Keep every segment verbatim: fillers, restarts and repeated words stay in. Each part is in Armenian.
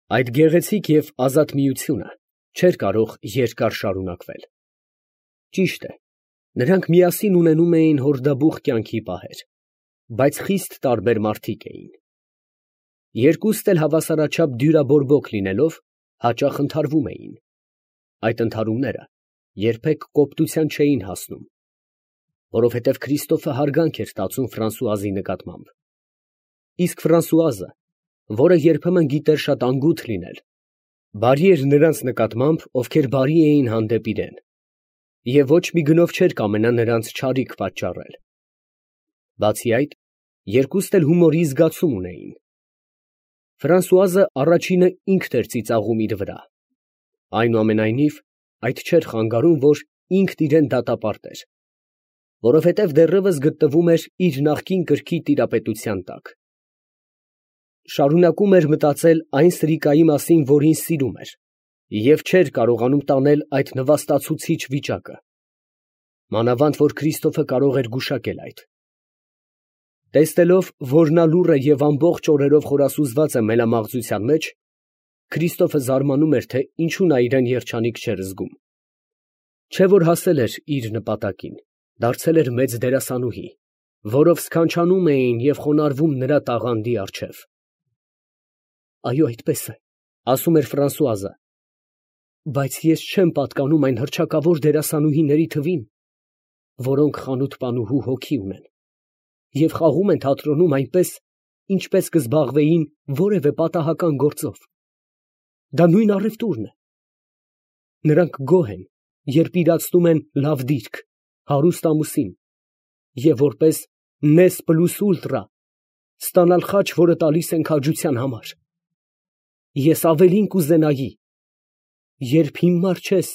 Այդ գեղեցիկ և ազատ միությունը չէր կարող երկար շարունակվել. ճիշտ է, նրանք միասին ունենում էին հորդաբուխ կյանքի պահեր, բայց խիստ տարբեր մարդիկ էին. երկուստ էլ հավասարաչափ դյուրաբորբոք լինելով, հաճախ ընդհարվում էին. այդ ընդհարումները երբեք կոպտության չէին հասնում, որովհետև Քրիստոֆը հարգանք էր տածում Ֆրանսուազի նկատմամբ, իսկ Ֆրանսուազը, որը երբեմն գիտեր շատ անգութ լինել, բարի էր նրանց նկատմամբ, ովքեր բարի էին հանդեպ իրեն, և ոչ մի գնով չէր կամենա նրանց չարիք պատճառել. բացի այդ, երկուստ էլ հումորի զգացում ունեին. Ֆրանսուազը առաջինը ինքն էր ծիծաղում իր վրա, այնուամենայնիվ, այդ չէր խանգարում, որ ինքն իրան դատապարտեր, որովհետև դեռևս գտնվում էր իր նախկին կրքի տիրապետության տակ. շարունակում էր մտածել այն սրիկայի մասին, որին սիրում էր, և չէր կարողանում տանել այդ նվաստացուցիչ վիճակը, մանավանդ որ Քրիստոֆը կարող էր գուշակել այդ. տեսնելով, որ նա լուռ է և ամբողջ օրերով խորասուզված է մելամաղձության մեջ, Քրիստոֆը զարմանում էր, թե ինչու նա իրան երջանիկ չէր զգում. չէ՞ որ հասել էր իր նպատակին, դարձել էր մեծ դերասանուհի, որով սքանչանում էին և խոնարհվում նրա տաղանդի առջև։ Այո, այդպես է, ասում էր Ֆրանսուազը, բայց ես չեմ պատկանում այն հռչակավոր դերասանուհիների թվին, որոնք խանութպանուհու հոգի ունեն և խաղում են թատրոնում այնպես, ինչպես կզբաղվեին որևէ պատահական գործով. դա նույն առևտուրն է. նրանք գոհ են, երբ իրացնում են լավ դիրք, հարուստ ամուսին և որպես նես պլյուս ուլտրա ստանալ խաչ, որը տալիս են քաջության համար։ Ես ավելին կուզենայի, երբ հիմար չես,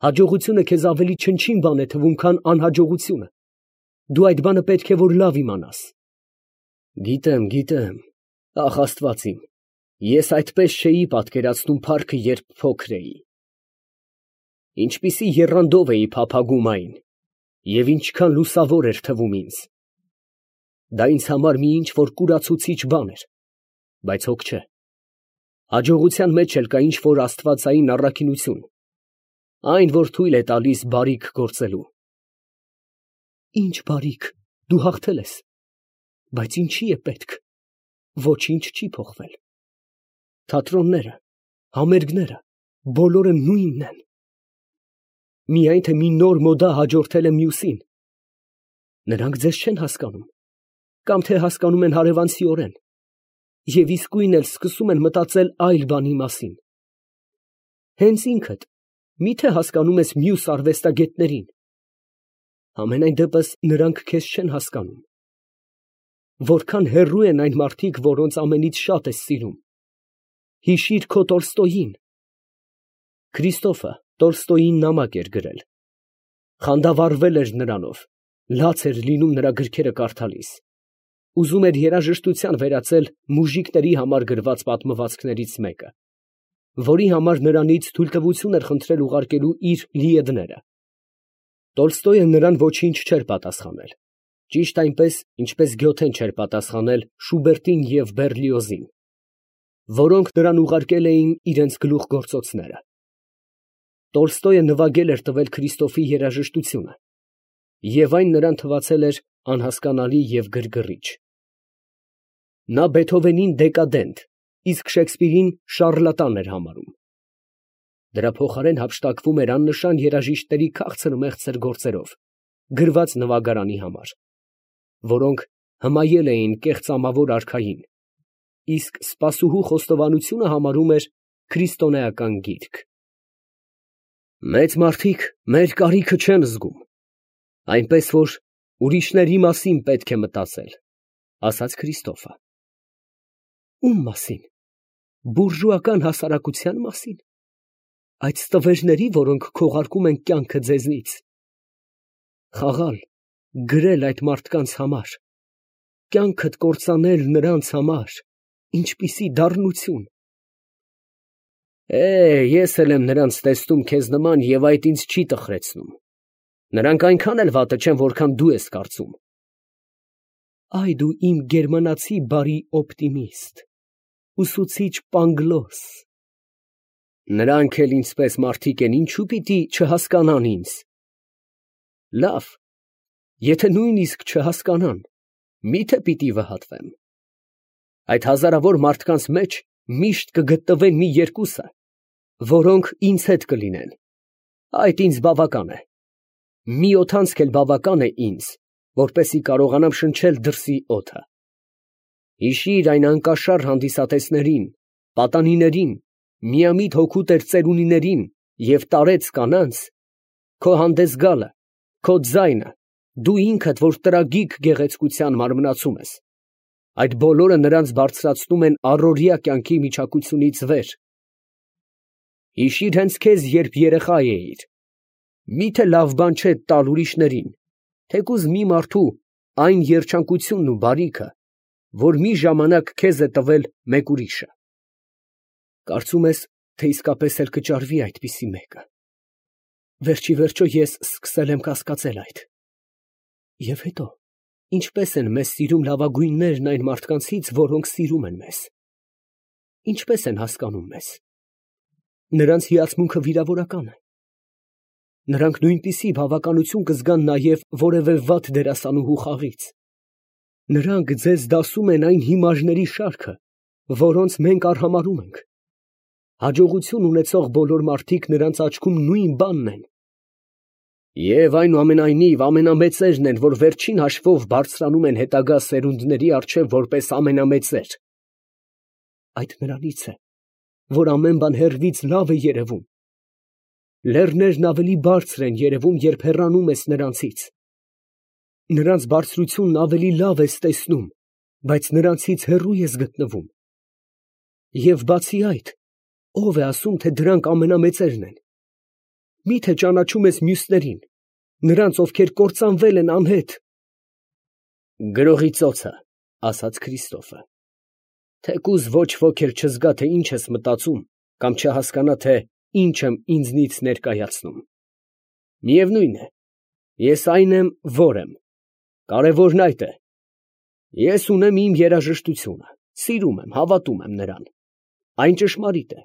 հաջողությունը քեզ ավելի չնչին բան է թվում, քան անհաջողությունը, դու այդ բանը պետք է որ լավ իմանաս։ Գիտեմ, գիտեմ, ախ Աստված իմ, ես այդպես չէի պատկերացնում փառքը, երբ փոքր էի, ինչպիսի եռանդով էի փափագում այն, և ինչքան լուսավոր էր թվում ինձ, դա ինձ համար մի ինչ֊որ կուրացուցիչ բան էր, բայց հոգ չէ, հաջողության մեջ էլ կա ինչ֊որ աստվածային առաքինություն, այն, որ թույլ է տալիս բարիք գործելու։ Ի՞նչ բարիք, դու հաղթել ես, բայց ինչի է պետք, ոչինչ չի փոխվել, թատրոնները, համերգները, բոլորը նույնն են, միայն թե մի նոր մոդա հաջորդել է մյուսին, նրանք ձեզ չեն հասկանում, կամ թե հասկանում են հարևանցիորեն, և իսկույն էլ սկսում են մտածել այլ բանի մասին։ Հենց ինքդ մի՞թե հասկանում ես մյուս արվեստագետներին, համենայն դեպս նրանք քեզ չեն հասկանում, որքան հեռու են այն մարդիկ, որոնց ամենից շատ ես սիրում, հիշիր քո Տոլստոյին։ Քրիստոֆը Տոլստոյին նամակ էր գրել, խանդավառվել էր նրանով, լաց էր լինում նրա գրքերը կարդալիս, ուզում էր երաժշտության վերածել մուժիկների համար գրված պատմվածքներից մեկը, որի համար նրանից թույլտվություն էր խնդրել ուղարկելու իր Լիեդները։ Տոլստոյը նրան ոչինչ չէր պատասխանել, ճիշտ այնպես, ինչպես Գյոթեն չէր պատասխանել Շուբերտին և Բեռլիոզին, որոնք նրան ուղարկել էին իրենց գլուխգործոցները։ Տոլստոյը նվագել էր տվել Քրիստոֆի երաժշտությունը, և այն նրան թվացել էր անհասկանալի և գրգռիչ։ Նա Բեթհովենին դեկադենտ, իսկ Շեքսպիրին շառլատան էր համարում։ Դրա փոխարեն հափշտակվում էր աննշան երաժիշտների քաղցր֊մեղցր գործերով, գրված նվագարանի համար, որոնք հմայել էին կեղծամավոր արքային, իսկ սպասուհու խոստովանությունը համարում էր քրիստոնեական գիրք։ Մեծ մարդիկ մեր կարիքը չեն զգում, այնպես որ ուրիշների մասին պետք է մտածել, ասաց Քրիստոֆը։ Ո՞ւմ մասին, բուրժուական հասարակության մասին, այդ ստվերների, որոնք քողարկում են կյանքը ձեզնից, խաղալ, գրել այդ մարդկանց համար, կյանքդ կործանել նրանց համար, ինչպիսի դառնություն։ Է, ես էլ եմ նրանց տեսնում քեզ նման, և այդ ինձ չի տխրեցնում, նրանք այնքան էլ վատը չեն, որքան դու ես կարծում։ Այ դու իմ գերմանացի բարի օպտիմիստ, ուսուցիչ Պանգլոս։ Նրանք էլ ինձպես մարդիկ են, ինչու պիտի չհասկանան ինձ։ Լավ, եթե նույնիսկ չհասկանան, միթե պիտի վհատվեմ։ Այդ հազարավոր մարդկանց մեջ միշտ կգտնվեն մի երկուսը, որոնք ինձ հետ կլինեն։ Այդ ինձ բավական է։ Մի օդանցք էլ բավական է ինձ, որպեսզի կարողանամ շնչել դրսի օդը։ Հիշիր այն անկաշառ հանդիսատեսներին, պատանիներին, միամիտ հոգուտեր ծերունիներին և տարեց կանանց, քո հանդես գալը, քո ձայնը, դու ինքդ, որ տրագիկ գեղեցկության մարմնացում ես, այդ բոլորը նրանց բարձրացնում են առօրյա կյանքի միջակությունից վեր։ Հիշիր հենց քեզ, երբ երեխա էիր, միթե լավ բան չէ տալ ուրիշներին, թեկուզ մի մարդու այն երջանկությունն ու բարիքը, որ մի ժամանակ քեզ է տվել մեկ ուրիշը։ Կարծում ես, թե իսկապես էլ կճարվի այդպիսի մեկը։ Վերջիվերջո ես սկսել եմ կասկածել այդ։ Եվ հետո, ինչպես են մեզ սիրում լավագույններն այն մարդկանցից, որոնք սիրում են մեզ։ Ինչպես են հասկանում մեզ։ Նրանց հիացմունքը վիրավորական է։ Նրանք նույնպիսի բավականություն կզգան նաև որևէ վատ դերասանուհու խաղից։ Նրանք ձեզ դասում են այն հիմարների շարքը, որոնց մենք արհամարհում ենք։ Հաջողություն ունեցող բոլոր մարդիկ նրանց աչքում նույն բանն են։ Եվ այնուամենայնիվ ամենամեծերն են, որ վերջին հաշվով բարձրանում են հետագա սերունդների առջև որպես ամենամեծեր։ Այդ նրանից է, որ ամեն բան հեռվից լավ է երևում։ Լեռներն ավելի բարձր են երևում, երբ հեռանում ես նրանցից։ Նրանց բարձրությունն ավելի լավ ես տեսնում, բայց նրանցից հեռու ես գտնվում։ Եվ բացի այդ, ո՞վ է ասում, թե դրանք ամենամեծերն են։ Մի՞թե ճանաչում ես մյուսներին, նրանց, ովքեր կործանվել են անհետ։ Գրողի ծոցը, ասաց Քրիստոֆը, թեկուզ ոչ ոք էլ չզգա, թե ինչ ես մտածում, կամ չհասկանա, թե ինչ եմ ինձնից ներկայացնում։ Միևնույն է, ես այն եմ, որ եմ, կարևորն այդ է։ Ես ունեմ իմ երաժշտությունը, սիրում եմ, հավատում եմ նրան, այն ճշմարիտ է,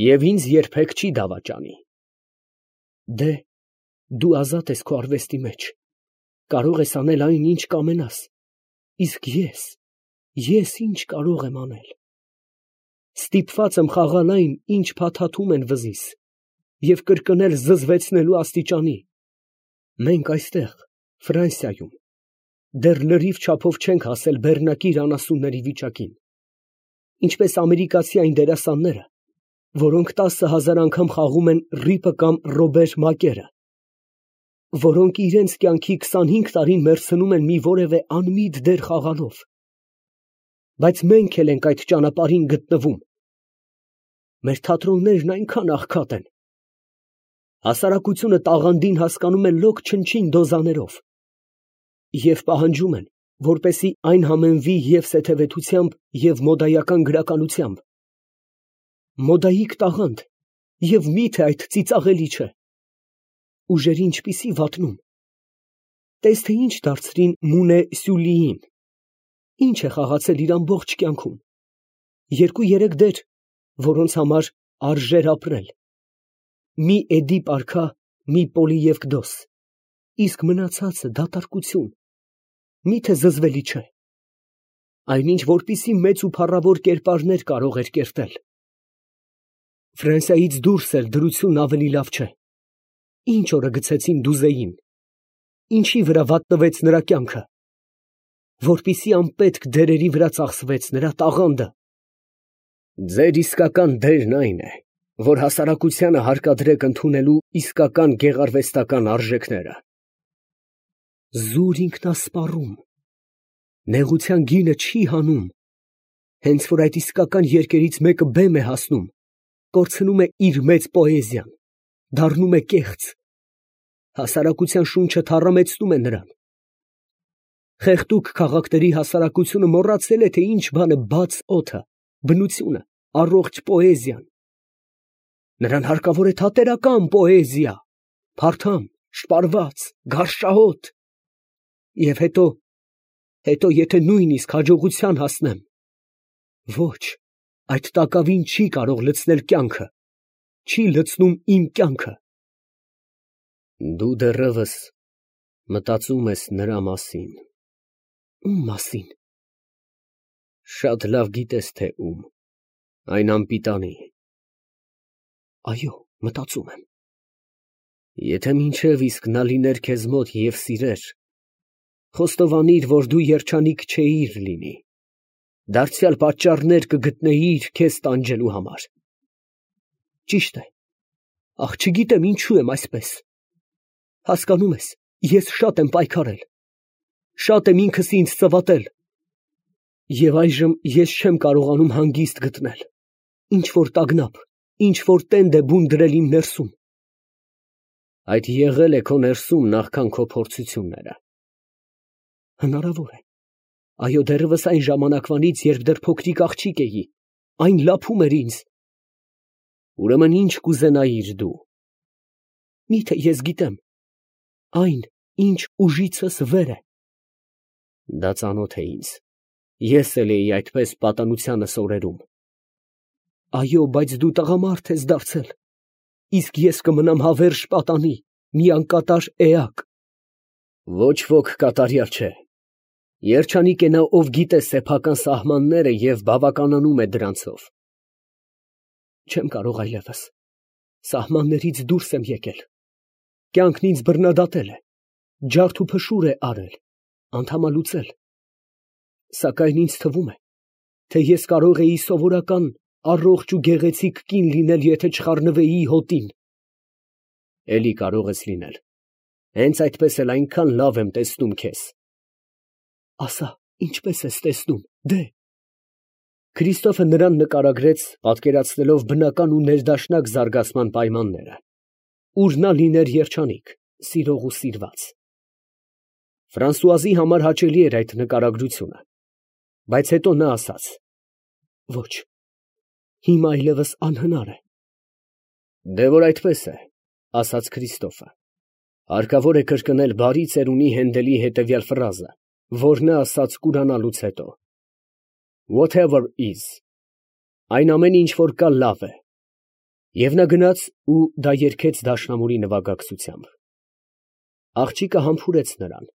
և ինձ երբեք չի դավաճանի։ Դե, դու ազատ ես քո արվեստի մեջ, կարող ես անել այն, ինչ կամենաս, իսկ ես, ես ինչ կարող եմ անել։ Ստիպված եմ խաղալ այն, ինչ փաթաթում են վզիս, և կրկնել զզվեցնելու աստիճանի։ Մենք այստեղ, Ֆրանսիայում, դեռ լրիվ չափով չենք հասել բեռնակիր անասունների վիճակին, ինչպես ամերիկացի այն դերասանները, որոնք տասը հազար անգամ խաղում են Ռիպը կամ Ռոբեր Մակերը, որոնք իրենց կյանքի քսանհինգ տարին մեռցնում են մի որևէ անմիտ դեր խաղալով։ Բայց մենք էլ ենք այդ ճանապարհին գտնվում։ Մեր թատրոններն այնքան աղքատ են։ Հասարակությունը տաղանդին հասկանում է լոկ չնչին դոզաներով և պահանջում են, որպեսզի այն համեմվի և սեթևեթությամբ, և մոդայական գրականությամբ։ Մոդայիկ տաղանդ, և մի՞թե այդ ծիծաղելի չէ։ Ուժերի ինչպիսի վատնում։ Տես, թե ինչ դարձրին Մունե Սյուլիին, ինչ է խաղացել իր ամբողջ կյանքում։ Երկու֊երեք դեր, որոնց համար արժեր ապրել։ Մի Էդիպ արքա, մի Պոլիևկդոս, իսկ մնացածը դատարկություն։ Մի՞թե զզվելի չէ։ Այնինչ, որպիսի մեծ ու փառավոր կերպարներ կարող էր կերտել։ Ֆրանսիայից դուրս էլ դրությունն ավելի լավ չէ։ Ինչ օրը գցեցին Դուզեին, ինչի վրա վատնվեց նրա կյանքը, որպիսի անպետք դերերի վրա ծախսվեց նրա տաղանդը։ Ձեր իսկական դերն այն է, որ հասարակությանը հարկադրեք ընդունելու իսկական գեղարվեստական արժեքները։ Զուր ինքնասպառում, նեղության գինը չի հանում, հենց որ այդ իսկական երկերից մեկը բեմ է հասնում, կորցնում է իր մեծ պոեզիան, դառնում է կեղծ, հասարակության շունչը թառամեցնում է նրան։ Խեղդուկ քաղաքների հասարակությունը մոռացել է, թե ինչ բան է բաց օդը, բնությունը, առողջ պոեզիան։ Նրան հարկավոր է թատերական պոեզիա, փարթամ, շպարված, գարշահոտ։ Եվ հետո, հետո եթե նույնիսկ հաջողության հասնեմ, ոչ, այդ տակավին չի կարող լցնել կյանքը, չի լցնում իմ կյանքը։ Դու դեռևս մտածում ես նրա մասին։ Ում մասին։ Շատ լավ գիտես, թե ում, այն անպիտանի։ Այո, մտածում եմ։ Եթե մինչև իսկ նա լիներ քեզ մոտ և սիրեր, խոստովանիր, որ դու երջանիկ չէիր լինի, դարձյալ պատճառներ կգտնեիր քեզ տանջելու համար։ Ճիշտ է, ախ, չգիտեմ ինչու եմ այսպես։ Հասկանում ես, ես շատ եմ պայքարել, շատ եմ ինքս ինձ ծվատել, և այժմ ես չեմ կարողանում հանգիստ գտնել, ինչ որ տագնապ, ինչ որ տենդ է բուն դրել իմ ներսում։ Այդ եղել է քո ներսում նախքան քո փորձությունները։ Հնարավոր է, այո, դեռևս այն ժամանակվանից, երբ դեռ փոքրիկ աղջիկ էի, այն լափում էր ինձ։ Ուրեմն ինչ կուզենայիր դու։ Միթե ես գիտեմ, այն, ինչ ուժիցս վեր է։ Դա ծանոթ է ինձ, ես էլ էի այդպես պատանությանս օրերում։ Այո, բայց դու տղամարդ ես դարձել, իսկ ես կմնամ հավերժ պատանի, մի անկատար էակ։ Ոչ ոք կատարյալ չէ։ Երջանիկ է նա, ով գիտե սեփական սահմանները և բավականանում է դրանցով։ Չեմ կարող այլևս, սահմաններից դուրս եմ եկել, կյանքն ինձ բռնադատել է, ջարդ ու փշուր է արել, անդամալուծել, սակայն ինձ թվում է, թե ես կարող էի սովորական առողջ ու գեղեցիկ կին լինել, եթե չխառնվեի հոտին։ Էլի կարող ես լինել, հենց այդպես էլ այնքան լավ եմ տեսնում քեզ։ Ասա, ինչպես ես տեսնում, դե։ Քրիստոֆը նրան նկարագրեց, պատկերացնելով բնական ու ներդաշնակ զարգացման պայմանները, ուր նա լիներ երջանիկ, սիրող ու սիրված։ Ֆրանսուազի համար հաճելի էր այդ նկարագրությունը, բայց հետո նա ասաց. ոչ, հիմա այլևս անհնար է։ Դե որ այդպես է, ասաց Քրիստոֆը, հարկավոր է կրկնել բարի ծերունի Հենդելի հետևյալ ֆրազը, որ նա ասաց կուրանալուց հետո. Whatever is, այն ամեն ինչ որ կա լավ է։ Եվ նա գնաց ու դա երգեց դաշնամուրի նվագակցությամբ։ Աղջիկը համբուրեց նրան,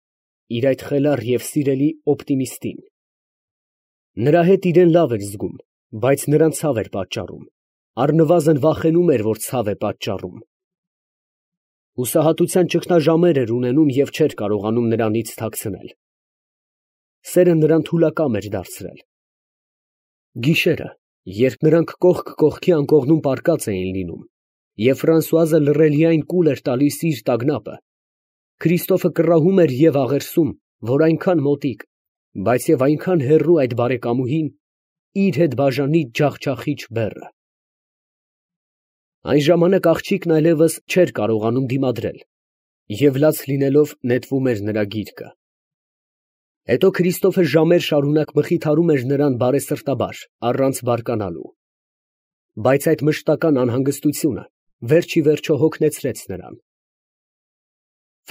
իր այդ խելառ և սիրելի օպտիմիստին։ Նրա հետ իրեն լավ էր զգում, բայց նրան ցավ էր պատճառում, առնվազն վախենում էր, որ ցավ է պատճառում։ Հուսահատության ճգնաժամեր էր ունենում և չէր կարողանում նրանից թաքցնել։ Սերը նրան թուլակամ էր դարձրել։ Գիշերը, երբ նրանք կողք կողքի անկողնում պառկած էին լինում, և Ֆրանսուազը լռելիայն կուլ էր տալիս իր տագնապը, Քրիստոֆը կռահում էր և աղերսում, որ այնքան մոտիկ, բայց և այնքան հեռու այդ բարեկամուհին իր հետ բաժանի ջախջախիչ բեռը։ Այն ժամանակ աղջիկն այլևս չէր կարողանում դիմադրել և լաց լինելով նետվում էր նրա գիրկը։ Հետո Քրիստոֆը ժամեր շարունակ մխիթարում էր նրան բարեսրտաբար, առանց բարկանալու։ Բայց այդ մշտական անհանգստությունը վերջ ի վերջո հոգնեցրեց նրան։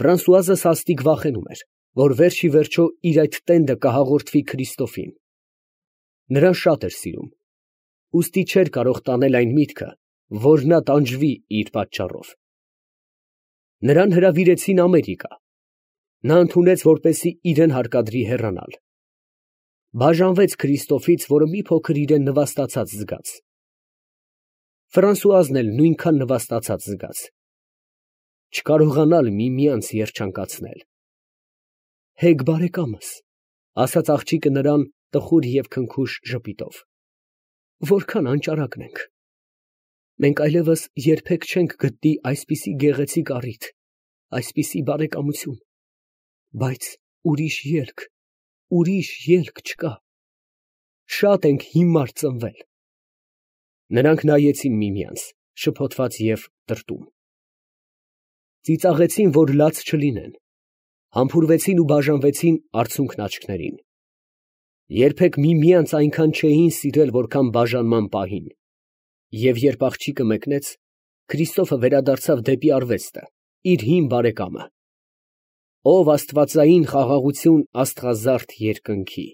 Ֆրանսուազը սաստիկ վախենում էր, որ վերջ ի վերջո իր այդ տենդը կհաղորդվի Քրիստոֆին։ Նրան շատ էր սիրում, ուստի չէր կարող տանել այն միտքը, որ նա տանջվի իր պատճառով։ Նրան հրավիրեցին Ամերիկա։ Նա ընդունեց, որպեսզի իրեն հարկադրի հեռանալ։ Բաժանվեց Քրիստոֆից, որը մի փոքր իրեն նվաստացած զգաց։ Ֆրանսուազն էլ նույնքան նվաստացած զգաց։ Չկարողանալ միմյանց երջանկացնել։ Հեգ բարեկամս, ասաց աղջիկը նրան տխուր և քնքուշ ժպիտով, որքան անճարակն ենք։ Մենք այլևս երբեք չենք գտնի այսպիսի գեղեցիկ առիթ, այսպիսի բարեկամություն, բայց ուրիշ ելք, ուրիշ ելք չկա։ Շատ ենք հիմար ծնվել։ Նրանք նայեցին միմյանց, շփոթված և տրտում։ Ծիծաղեցին, որ լաց չլինեն, համբուրվեցին ու բաժանվեցին արցունքն աչքներին։ Երբեք միմյանց այնքան չէին սիրել, որքան բաժանման պահին։ Եվ երբ աղջիկը մեկնեց, Քրիստոֆը վերադարձավ դեպի արվեստը, իր հին բարեկամը, ով աստվածային խաղաղություն աստղազարդ երկնքի։